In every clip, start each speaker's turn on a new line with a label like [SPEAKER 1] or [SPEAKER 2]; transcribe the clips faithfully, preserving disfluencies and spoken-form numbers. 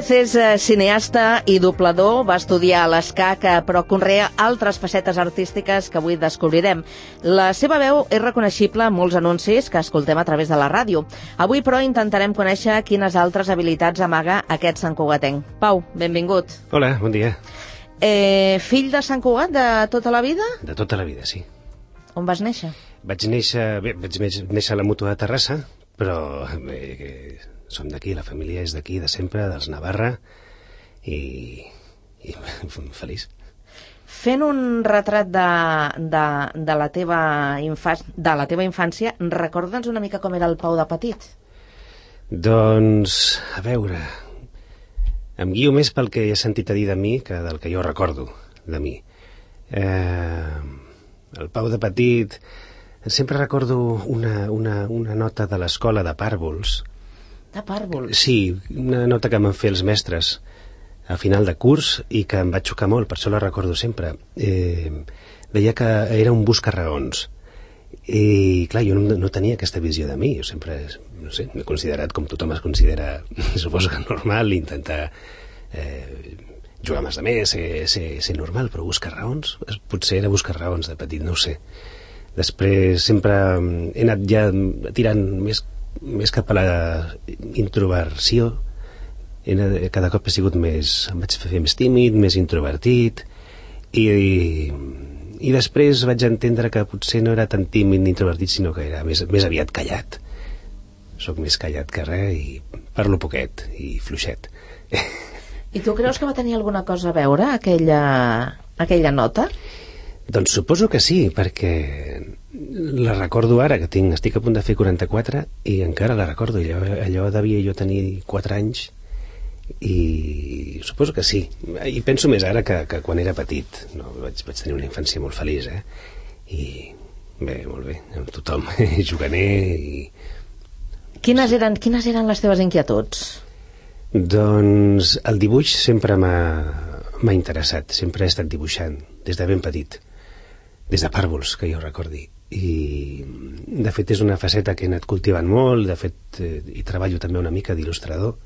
[SPEAKER 1] Tomàs és cineasta i doblador, va estudiar a l'ESCAC, però conrea altres facetes artístiques que avui descobrirem. La seva veu és reconeixible en molts anuncis que escoltem a través de la ràdio. Avui, però, intentarem conèixer quines altres habilitats amaga aquest santcugatenc. Pau, benvingut.
[SPEAKER 2] Hola, bon dia.
[SPEAKER 1] Eh, fill de Sant Cugat de tota la vida?
[SPEAKER 2] De tota la vida, sí.
[SPEAKER 1] On vas néixer?
[SPEAKER 2] Vaig néixer, bé, vaig néixer a la Mútua de Terrassa, però bé, som d'aquí, la família és d'aquí, de sempre, dels Navarra, i, i feliç.
[SPEAKER 1] Fent un retrat de, de, de, la teva infà, de la teva infància, recorda'ns una mica com era el Pau de petit.
[SPEAKER 2] Doncs, a veure, em guio més pel que he sentit a dir de mi que del que jo recordo de mi. Eh, el Pau de petit, sempre recordo una, una, una nota de l'escola de pàrvols.
[SPEAKER 1] De pàrvols?
[SPEAKER 2] Sí, una nota que m'han fet els mestres a final de curs i que em va xocar molt, per això la recordo sempre. Eh, deia que era un busca-raons. I, clar, jo no, no tenia aquesta visió de mi. Jo sempre, no sé, m'he considerat com tothom es considera, suposo que normal, intentar eh, jugar amb els altres, ser, ser, ser normal, però buscar raons, potser era buscar raons de petit, no ho sé. Després sempre he anat ja tirant més, més cap a la introversió. He anat, cada cop he sigut més, em vaig fer més tímid, més introvertit, i, i, i després vaig entendre que potser no era tan tímid ni introvertit, sinó que era més, més aviat callat. Soc més callat que res i parlo poquet i fluixet.
[SPEAKER 1] I tu creus que va tenir alguna cosa a veure aquella, aquella nota?
[SPEAKER 2] Doncs suposo que sí, perquè la recordo ara, que tinc, estic a punt de fer quaranta-quatre i encara la recordo. Allò, allò devia jo tenir quatre anys i suposo que sí. I penso més ara que, que quan era petit. No, vaig, vaig tenir una infància molt feliç, eh? I bé, molt bé, amb tothom, juganer i...
[SPEAKER 1] Quines eren, quines eren les teves inquietuds?
[SPEAKER 2] Doncs el dibuix sempre m'ha, m'ha interessat, sempre he estat dibuixant, des de ben petit, des de pàrvols, que jo recordi. I, de fet, és una faceta que he anat cultivant molt, de fet, eh, hi treballo també una mica d'il·lustrador.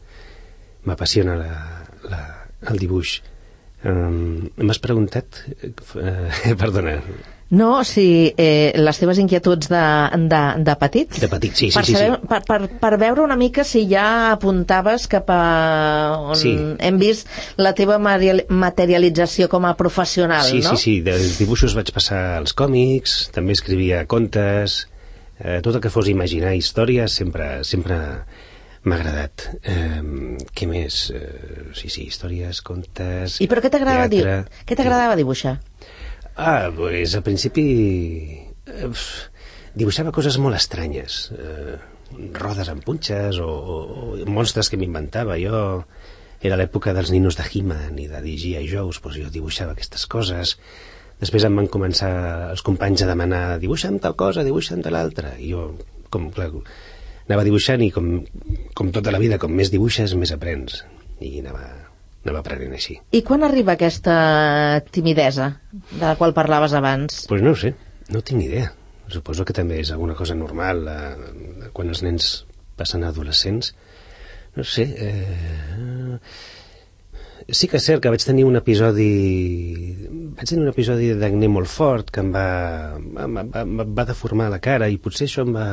[SPEAKER 2] M'apassiona la, la, el dibuix. Um, M'has preguntat... Eh, perdona...
[SPEAKER 1] No, si eh, les teves inquietuds de, de, de petit.
[SPEAKER 2] De petit, sí, sí,
[SPEAKER 1] per
[SPEAKER 2] sí,
[SPEAKER 1] saber,
[SPEAKER 2] sí.
[SPEAKER 1] Per, per, per veure una mica si ja apuntaves cap a on
[SPEAKER 2] sí.
[SPEAKER 1] Hem vist la teva materialització com a professional,
[SPEAKER 2] sí,
[SPEAKER 1] no?
[SPEAKER 2] Sí, sí, dels dibuixos vaig passar als còmics, també escrivia contes, eh, tot el que fos imaginar històries sempre, sempre m'ha agradat. Eh, què més? Eh, sí, sí, històries, contes...
[SPEAKER 1] I per què t'agradava dir? Què t'agradava dibuixar?
[SPEAKER 2] Ah, pues al principi eh, dibuixava coses molt estranyes, eh, rodes amb punxes o, o, o monstres que m'inventava. Jo era l'època dels ninos de He-Man i de G I. Joes, doncs jo dibuixava aquestes coses. Després em van començar els companys a demanar dibuixa'm tal cosa, dibuixa'm de l'altra, i jo com, clar, anava dibuixant i com, com tota la vida, com més dibuixes més aprens, i anava anava aprenent així.
[SPEAKER 1] I quan arriba aquesta timidesa de la qual parlaves abans?
[SPEAKER 2] Doncs pues no ho sé, no tinc ni idea. Suposo que també és alguna cosa normal eh, quan els nens passen a adolescents. No sé... Eh, sí que és cert que vaig tenir un episodi... Vaig tenir un episodi d'acné molt fort que em va, em va, em va deformar la cara, i potser això em va...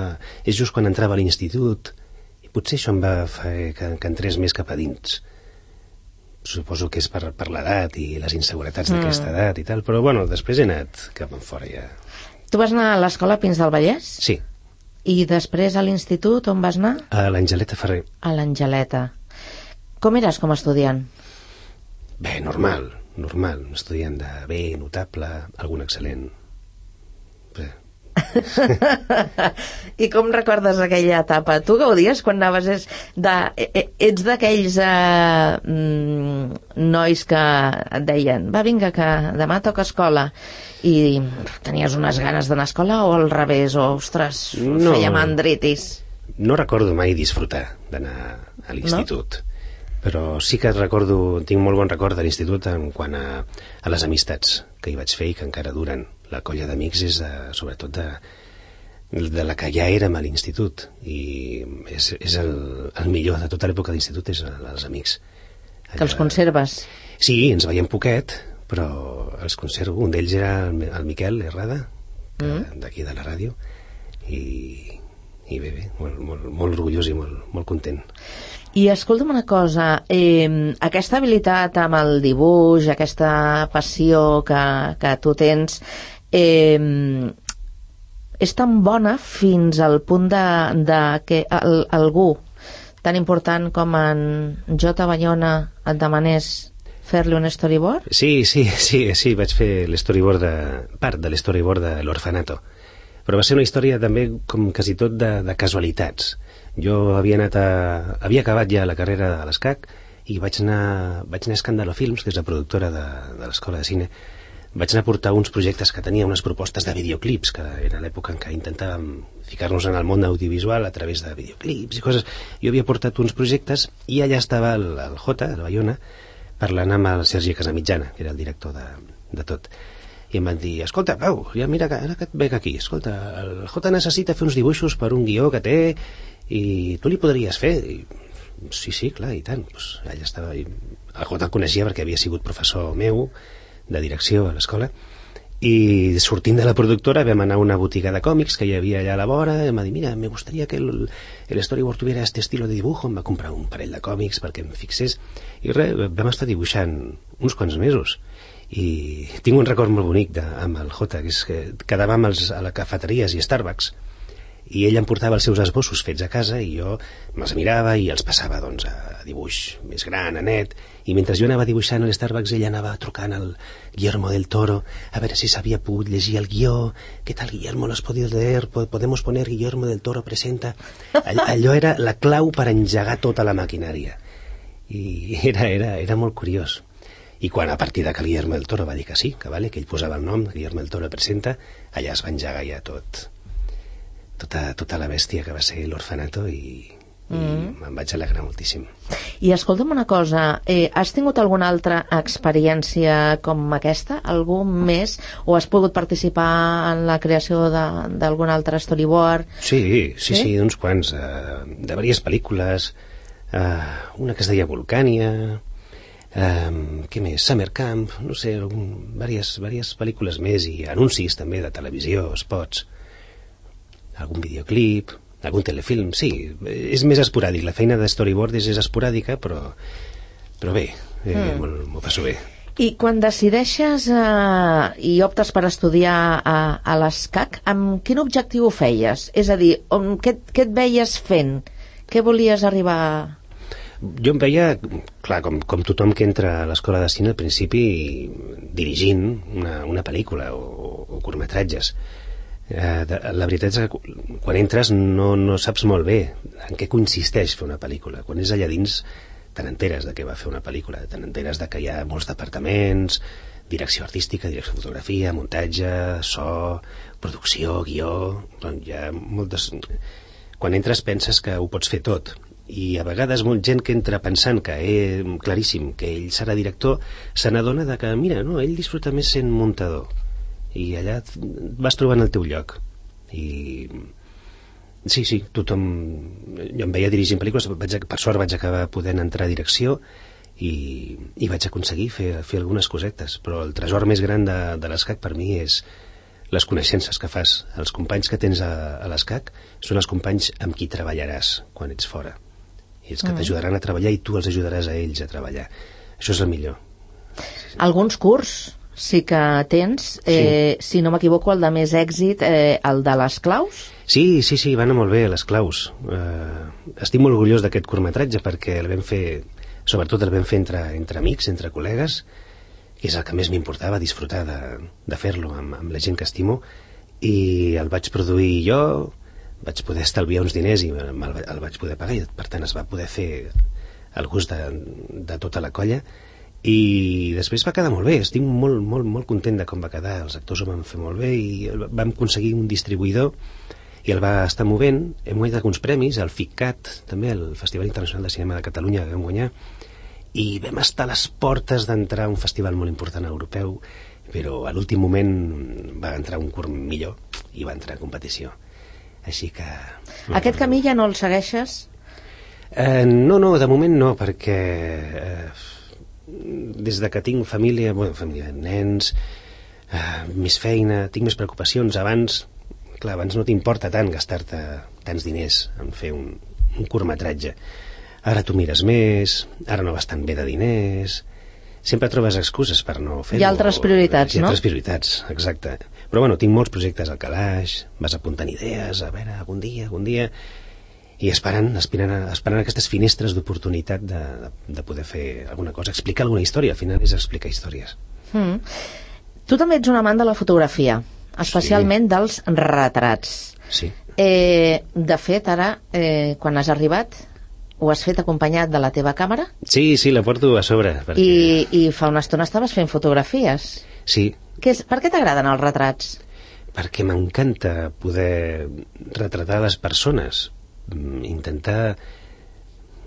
[SPEAKER 2] És just quan entrava a l'institut, i potser això em va fer que, que entrés més cap a dins. Suposo que és per, per l'edat i les inseguretats mm. d'aquesta edat i tal, però bueno, després he anat cap en fora ja.
[SPEAKER 1] Tu vas anar a l'escola Pins del Vallès?
[SPEAKER 2] Sí.
[SPEAKER 1] I després a l'institut on vas anar?
[SPEAKER 2] A l'Angeleta Ferrer.
[SPEAKER 1] A l'Angeleta. Com eres com a estudiant?
[SPEAKER 2] Bé, normal, normal. Un estudiant de bé, notable, algun excel·lent. Bé.
[SPEAKER 1] I com recordes aquella etapa? Tu gaudies quan anaves? És de, ets d'aquells eh, nois que et deien va, vinga, que demà toca escola, i tenies unes ganes d'anar a escola, o al revés, o ostres, no, feia mandritis?
[SPEAKER 2] No recordo mai disfrutar d'anar a l'institut, no? Però sí que recordo, tinc molt bon record de l'institut en quant a, a les amistats que hi vaig fer i que encara duren. La colla d'amics és de, sobretot de, de la que ja érem a l'institut, i és, és el, el millor de tota l'època d'institut, és els amics.
[SPEAKER 1] Que els conserves?
[SPEAKER 2] Sí, ens veiem poquet, però els conservo. Un d'ells era el Miquel Herrada, mm. d'aquí de la ràdio, i, i bé, bé, molt, molt, molt orgullós i molt, molt content.
[SPEAKER 1] I escolta'm una cosa, eh, aquesta habilitat amb el dibuix, aquesta passió que, que tu tens, eh, és tan bona fins al punt de, de que el, algú tan important com en Jota Bayona et demanés fer-li un storyboard?
[SPEAKER 2] Sí, sí, sí, sí, vaig fer l'storyboard de, part de l'storyboard de l'Orfanato. Però va ser una història també, com quasi tot, de, de casualitats. Jo havia anat a... havia acabat ja la carrera de l'ESCAC i vaig anar, vaig anar a Escàndalo Films, que és la productora de, de l'Escola de Cine. Vaig anar a portar uns projectes que tenia, unes propostes de videoclips, que era l'època en què intentàvem ficar-nos en el món audiovisual a través de videoclips i coses. Jo havia portat uns projectes i allà estava el, el Jota, el Bayona, parlant amb el Sergi Casamitjana, que era el director de, de tot. I em van dir, escolta, Pau, ja mira, que, ara que et veig aquí, escolta, el Jota necessita fer uns dibuixos per un guió que té i tu li podries fer? I, sí, sí, clar, i tant. Pues, allà estava. I el Jota el coneixia perquè havia sigut professor meu de direcció a l'escola, i sortint de la productora vam anar a una botiga de còmics que hi havia allà a la vora, i em va dir, mira, me gustaría que el, el storyboard tuviera este estilo de dibujo. Em va comprar un parell de còmics perquè em fixés, i res, vam estar dibuixant uns quants mesos, i tinc un record molt bonic de, amb el Jota, que és que quedàvem als, a les cafeteries i Starbucks, i ell em portava els seus esbossos fets a casa i jo me'ls mirava i els passava, doncs, a dibuix més gran, a net, i mentre jo anava dibuixant a l'Starbucks ell anava trucant al Guillermo del Toro a veure si s'havia pogut llegir el guió. ¿Qué tal, Guillermo? ¿Lo has podido leer? ¿Podemos poner Guillermo del Toro presenta? All, allò era la clau per engegar tota la maquinària, i era, era, era molt curiós. I quan a partir de que Guillermo del Toro va dir que sí, que vale, que ell posava el nom, Guillermo del Toro presenta, allà es va engegar ja tot, tota, tota la bèstia que va ser l'Orfanato, i, mm. i me'n vaig alegrar moltíssim.
[SPEAKER 1] I escolta'm una cosa, eh, has tingut alguna altra experiència com aquesta? Algú més? O has pogut participar en la creació d'algun altre storyboard?
[SPEAKER 2] Sí, sí, sí, sí, uns quants, uh, de diverses pel·lícules, uh, una que es deia Volcània, um, què més? Summer Camp, no sé, diverses, diverses pel·lícules més, i anuncis també de televisió, spots, algun videoclip, algun telefilm. Sí, és més esporàdic, la feina de storyboard és, és esporàdica, però, però bé, eh, mm. m'ho passo bé.
[SPEAKER 1] I quan decideixes eh, i optes per estudiar a, a l'ESCAC, amb quin objectiu ho feies? És a dir, on, què, què et veies fent? Què volies arribar a...
[SPEAKER 2] Jo em veia, clar, com, com tothom que entra a l'escola de cine al principi, dirigint una, una pel·lícula o, o curtmetratges. Uh, de, la veritat és que quan entres no, no saps molt bé en què consisteix fer una pel·lícula. Quan és allà dins te n'enteres de què va fer una pel·lícula, te n'enteres de que hi ha molts departaments, direcció artística, direcció de fotografia, muntatge, so, producció, guió, doncs hi ha moltes... Quan entres penses que ho pots fer tot, i a vegades molt gent que entra pensant que és claríssim que ell serà director se n'adona de que, mira, no, ell disfruta més sent muntador, i allà vas trobant el teu lloc. I sí, sí, tothom... Jo em veia dirigint pel·lícules, vaig, per sort vaig acabar podent entrar a direcció i, i vaig aconseguir fer, fer algunes cosetes, però el tresor més gran de, de l'ESCAC per mi és les coneixences que fas. Els companys que tens a, a l'ESCAC són els companys amb qui treballaràs quan ets fora, i els que mm. t'ajudaran a treballar i tu els ajudaràs a ells a treballar. Això és el millor. Sí, sí.
[SPEAKER 1] Alguns curs sí que tens, eh, sí. Si no m'equivoco, el de més èxit, eh, el de les claus?
[SPEAKER 2] Sí, sí, sí, va anar molt bé, les claus. Uh, estic molt orgullós d'aquest curtmetratge perquè el vam fer, sobretot el vam fer entre, entre amics, entre col·legues, que és el que més m'importava, disfrutar de, de fer-lo amb, amb la gent que estimo, i el vaig produir jo, vaig poder estalviar uns diners i el, el vaig poder pagar, i per tant es va poder fer el gust de, de tota la colla, i després va quedar molt bé. Estic molt, molt, molt content de com va quedar. Els actors ho van fer molt bé i vam aconseguir un distribuïdor i el va estar movent. Hem guanyat alguns premis, el FICCAT també, el Festival Internacional de Cinema de Catalunya, que vam guanyar, i vam estar a les portes d'entrar a un festival molt important europeu, però a l'últim moment va entrar un curt millor i va entrar a competició. Així que...
[SPEAKER 1] Aquest camí ja no el segueixes?
[SPEAKER 2] Eh, no, no, de moment no, perquè... Eh, des de que tinc família, bueno, família, nens, uh, més feina, tinc més preocupacions. Abans, clar, abans no t'importa tant gastar-te tants diners en fer un, un curtmetratge. Ara tu mires més, ara no vas tan bé de diners, sempre trobes excuses per no fer-ho.
[SPEAKER 1] Hi ha altres prioritats,
[SPEAKER 2] no? Hi ha
[SPEAKER 1] no?
[SPEAKER 2] altres prioritats, exacte. Però bueno, tinc molts projectes al calaix, vas apuntant idees, a veure, algun dia, algun dia, i esperant, esperant, esperant aquestes finestres d'oportunitat de, de, de poder fer alguna cosa, explicar alguna història. Al final és explicar històries.
[SPEAKER 1] Mm. Tu també ets un amant de la fotografia, especialment sí. dels retrats.
[SPEAKER 2] Sí.
[SPEAKER 1] Eh, de fet, ara, eh, quan has arribat, ho has fet acompanyat de la teva càmera?
[SPEAKER 2] Sí, sí, la porto a sobre. Perquè...
[SPEAKER 1] I, I fa una estona estaves fent fotografies.
[SPEAKER 2] Sí.
[SPEAKER 1] Què és, per què t'agraden els retrats?
[SPEAKER 2] Perquè m'encanta poder retratar les persones, intentar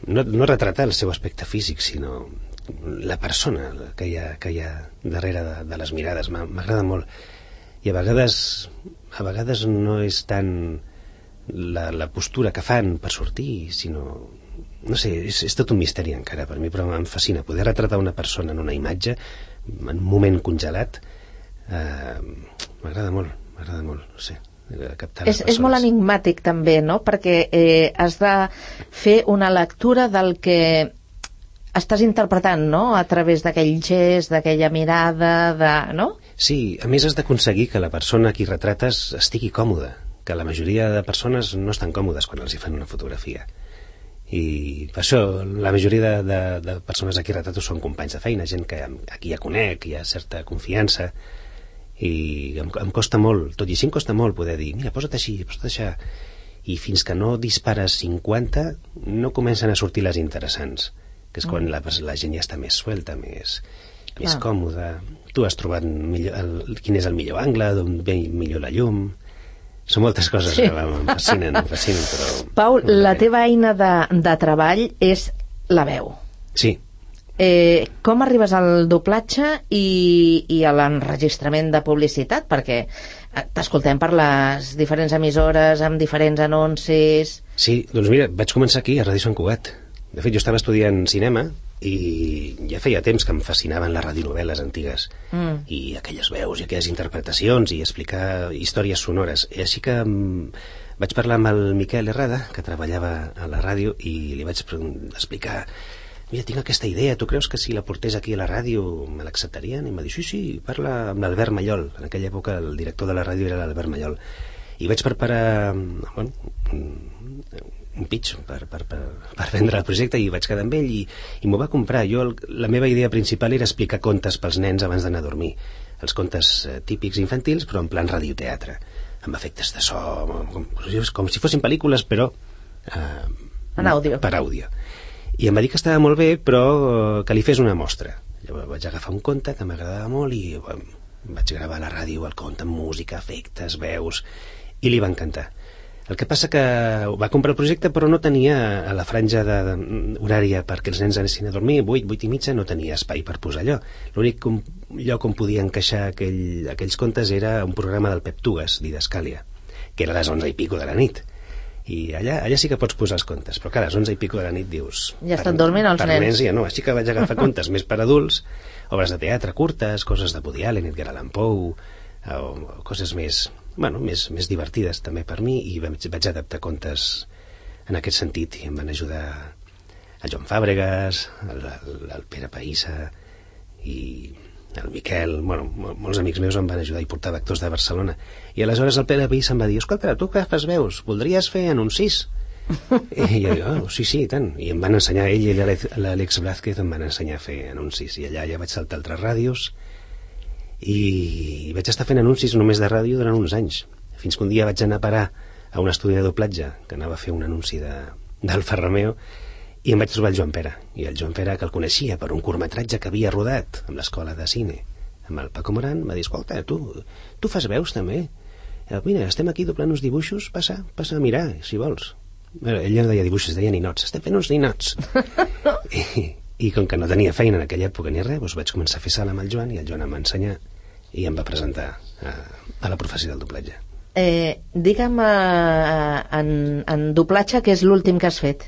[SPEAKER 2] no, no retratar el seu aspecte físic, sinó la persona que hi ha, que hi ha darrere de, de les mirades. M'agrada molt. I a vegades, a vegades no és tant la, la postura que fan per sortir, sinó... No sé, és, és tot un misteri encara per mi, però em fascina poder retratar una persona en una imatge, en un moment congelat. Eh, m'agrada molt, m'agrada molt, no sé, captar les
[SPEAKER 1] és,
[SPEAKER 2] persones.
[SPEAKER 1] És molt enigmàtic també, no? Perquè eh, has de fer una lectura del que estàs interpretant, no? A través d'aquell gest, d'aquella mirada, de... no?
[SPEAKER 2] Sí, a més has d'aconseguir que la persona a qui retrates estigui còmoda, que la majoria de persones no estan còmodes quan els hi fan una fotografia. I per això la majoria de, de, de persones a qui retrato són companys de feina, gent que a qui ja conec, hi ha certa confiança, i em, em costa molt, tot i així em costa molt poder dir, mira, posa't així, posa't així, i fins que no dispares cinquanta no comencen a sortir les interessants, que és quan la, la gent ja està més suelta, més, més còmoda. Tu has trobat millor, el, quin és el millor angle, d'on ve millor la llum. Són moltes coses sí. que em fascinen, em fascinen, però...
[SPEAKER 1] Pau, la teva eina de, de treball és la veu.
[SPEAKER 2] Sí.
[SPEAKER 1] Eh, com arribes al doblatge i, i a l'enregistrament de publicitat? Perquè t'escoltem per les diferents emissores, amb diferents anuncis...
[SPEAKER 2] Sí, doncs mira, vaig començar aquí, a Ràdio Sant Cugat. De fet, jo estava estudiant cinema i ja feia temps que em fascinaven les radionovel·les antigues mm. i aquelles veus i aquelles interpretacions i explicar històries sonores. I així que um, vaig parlar amb el Miquel Herrada, que treballava a la ràdio, i li vaig explicar, mira, tinc aquesta idea, tu creus que si la portés aquí a la ràdio me l'acceptarien? I em va dir, sí, sí, parla amb l'Albert Mallol. En aquella època el director de la ràdio era l'Albert Mallol. I vaig preparar bueno, un pitch per, per, per, per vendre el projecte i vaig quedar amb ell i, i m'ho va comprar. Jo, el, la meva idea principal era explicar contes pels nens abans d'anar a dormir, els contes eh, típics infantils, però en plan radioteatre, amb efectes de so, com, com si fossin pel·lícules, però eh,
[SPEAKER 1] en àudio.
[SPEAKER 2] Per àudio. I em va dir que estava molt bé, però que li fes una mostra. Llavors vaig agafar un conte que m'agradava molt i bueno, vaig gravar a la ràdio el conte amb música, efectes, veus, i li va encantar. El que passa que va comprar el projecte però no tenia a la franja de, de, horària perquè els nens anessin a dormir, vuit, vuit i mitja, no tenia espai per posar allò. L'únic lloc on podia encaixar aquell, aquells contes era un programa del Pep Tugas, Didascàlia, que era a les onze i pico de la nit. I allà, allà sí que pots posar els contes, però clar, a les onze i pico de la nit dius...
[SPEAKER 1] Ja estan dormint els
[SPEAKER 2] per
[SPEAKER 1] nens.
[SPEAKER 2] nens ja no, així que vaig agafar contes més per adults, obres de teatre curtes, coses de Woody Allen, Edgar Allan Poe, o, o coses més... Bueno, més, més divertides també per mi, i vaig, vaig adaptar contes en aquest sentit i em van ajudar el Joan Fàbregas, el, el, el Pere Païssa i el Miquel, bueno, molts amics meus em van ajudar i portava actors de Barcelona, i aleshores el Pere Païssa em va dir, escolta, tu que fas veus, voldries fer anuncis? I jo, oh, sí, sí, i tant, i em van ensenyar, ell i l'Àlex Blázquez em van ensenyar a fer anuncis, i allà ja vaig saltar altres ràdios i vaig estar fent anuncis només de ràdio durant uns anys, fins que un dia vaig anar a parar a un estudi de doblatge que anava a fer un anunci d'Alfa Romeo i em vaig trobar el Joan Pere, i el Joan Pere, que el coneixia per un curtmetratge que havia rodat amb l'escola de cine amb el Paco Moran, va dir, escolta, tu, tu fas veus també? Mira, estem aquí doblant uns dibuixos, passa, passa a mirar, si vols. Bueno, ell no deia dibuixos, deia ninots, estem fent uns ninots. I, i com que no tenia feina en aquella època ni res, doncs vaig començar a fer sala amb el Joan, i el Joan em va ensenyar i em va presentar a, a la professió del doblatge.
[SPEAKER 1] Eh, digue'm eh, en, en doblatge què és l'últim que has fet?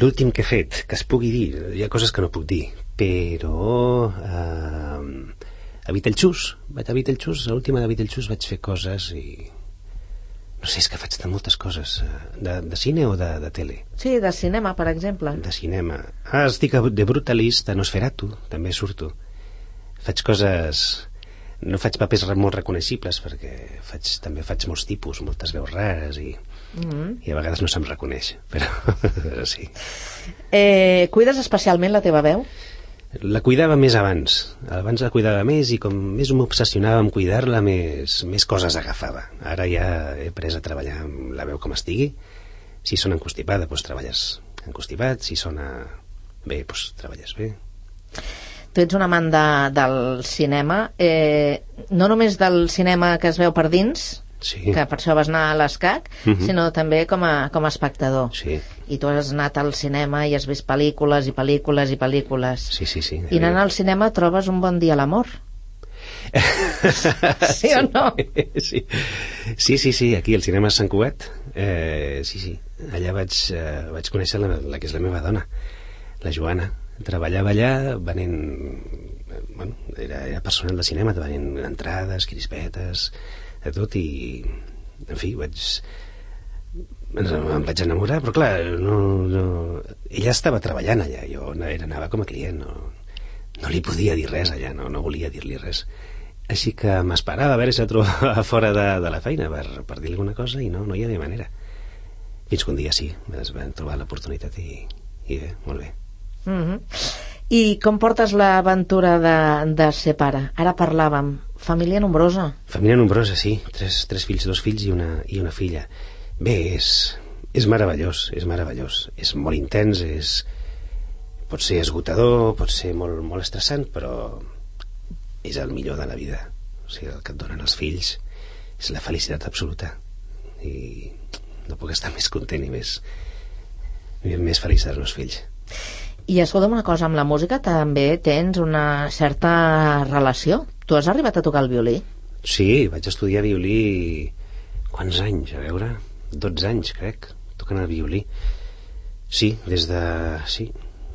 [SPEAKER 2] L'últim que he fet, que es pugui dir, hi ha coses que no puc dir, però eh, a Beetlejuice, vaig a Beetlejuice, l'última de Beetlejuice vaig fer coses i no sé, és que faig de moltes coses de, de cine o de, de tele.
[SPEAKER 1] Sí, de cinema, per exemple.
[SPEAKER 2] De cinema. Ah, estic de Brutalist, a Nosferatu, també surto. Faig coses... No faig papers molt reconeixibles perquè faig, també faig molts tipus, moltes veus rares i, mm-hmm. i a vegades no se'm reconeix, però sí.
[SPEAKER 1] Eh, cuides especialment la teva veu?
[SPEAKER 2] La cuidava més abans. Abans la cuidava més i com més m'obsessionava amb cuidar-la, més, més coses agafava. Ara ja he après a treballar amb la veu com estigui. Si sona encostipada, doncs treballes encostipat. Si sona bé, doncs treballes bé.
[SPEAKER 1] Tu ets un amant de, del cinema, eh, no només del cinema que es veu per dins, sí. que per això vas anar a l'ESCAC, uh-huh. sinó també com a, com a espectador.
[SPEAKER 2] Sí.
[SPEAKER 1] I tu has anat al cinema i has vist pel·lícules i pel·lícules i pel·lícules.
[SPEAKER 2] Sí, sí, sí.
[SPEAKER 1] I anant al cinema trobes un bon dia a l'amor. Sí o no?
[SPEAKER 2] Sí. sí, sí, sí, aquí al cinema Sant Cugat, eh, sí, sí, allà vaig, eh, vaig conèixer la, la que és la meva dona, la Joana. Treballava allà venent, bueno, era, era personal de cinema, venent entrades, crispetes, de tot, i en fi, vaig em vaig enamorar, però clar, no, no, ella estava treballant allà, jo era, anava com a client, no, no li podia dir res allà, no, no volia dir-li res, així que m'esperava a veure si la trobava fora de, de la feina per, per dir-li alguna cosa i no, no hi havia manera, fins que un dia sí, es van trobar l'oportunitat i, i bé, molt bé.
[SPEAKER 1] Mm-hmm. I com portes l'aventura de, de ser pare? Ara parlàvem, família nombrosa.
[SPEAKER 2] Família nombrosa, sí, tres, tres fills, dos fills i una, i una filla. Bé, és, és meravellós, és meravellós, és molt intens, és, pot ser esgotador, pot ser molt, molt estressant, però és el millor de la vida. O sigui, el que et donen els fills és la felicitat absoluta i no puc estar més content i més, més feliç dels meus fills.
[SPEAKER 1] I escolta'm una cosa, amb la música també tens una certa relació. Tu has arribat a tocar el violí?
[SPEAKER 2] Sí, vaig estudiar violí quants anys, a veure, dotze anys crec, tocant el violí. Sí, des de sí,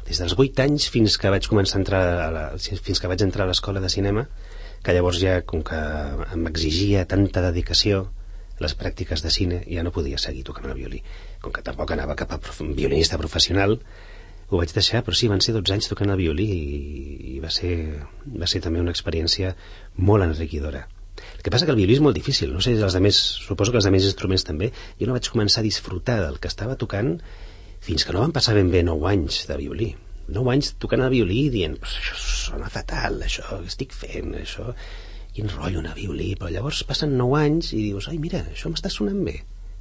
[SPEAKER 2] des dels vuit anys fins que vaig començar a entrar a la, fins que vaig entrar a l'escola de cinema, que llavors ja com que m'exigia tanta dedicació les pràctiques de cine, ja no podia seguir tocant el violí. Com que tampoc anava cap a prof... violinista professional, ho vaig deixar, però sí, van ser dotze anys tocant el violí i, i va, ser, va ser també una experiència molt enriquidora. El que passa que el violí és molt difícil, no sé, els demés, suposo que els demés instruments també. Jo no vaig començar a disfrutar del que estava tocant fins que no van passar ben bé nou anys de violí. Nou anys tocant el violí i dient, pues això sona fatal, això que estic fent, això, quin rotllo anar a violí, però llavors passen nou anys i dius, ai, mira, això m'està sonant bé.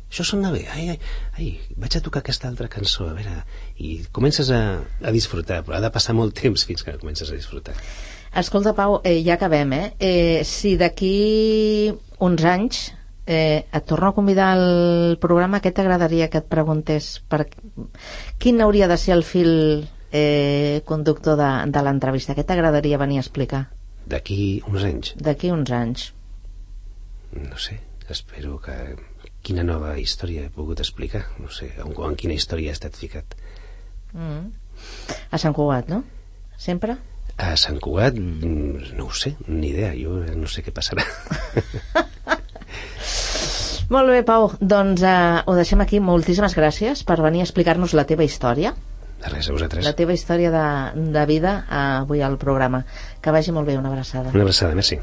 [SPEAKER 2] Això sona bé, ai, ai, ai, vaig a tocar aquesta altra cançó, a veure, i comences a, a disfrutar, però ha de passar molt temps fins que comences a disfrutar.
[SPEAKER 1] Escolta, Pau, eh, ja acabem, eh? eh si d'aquí uns anys eh, et torno a convidar al programa, què t'agradaria que et preguntés? Per... Quin hauria de ser el fil eh, conductor de, de l'entrevista? Què t'agradaria venir a explicar?
[SPEAKER 2] D'aquí uns anys?
[SPEAKER 1] D'aquí uns anys.
[SPEAKER 2] No sé, espero que... Quina nova història he pogut explicar? No sé, en, en quina història he estat ficat.
[SPEAKER 1] Mm. A Sant Cugat, no? Sempre?
[SPEAKER 2] A Sant Cugat, no ho sé, ni idea, jo no sé què passarà.
[SPEAKER 1] Molt bé, Pau, doncs uh, ho deixem aquí. Moltíssimes gràcies per venir a explicar-nos la teva història.
[SPEAKER 2] De res, a vosaltres.
[SPEAKER 1] La teva història de, de vida uh, avui al programa. Que vagi molt bé, una abraçada.
[SPEAKER 2] Una abraçada, merci.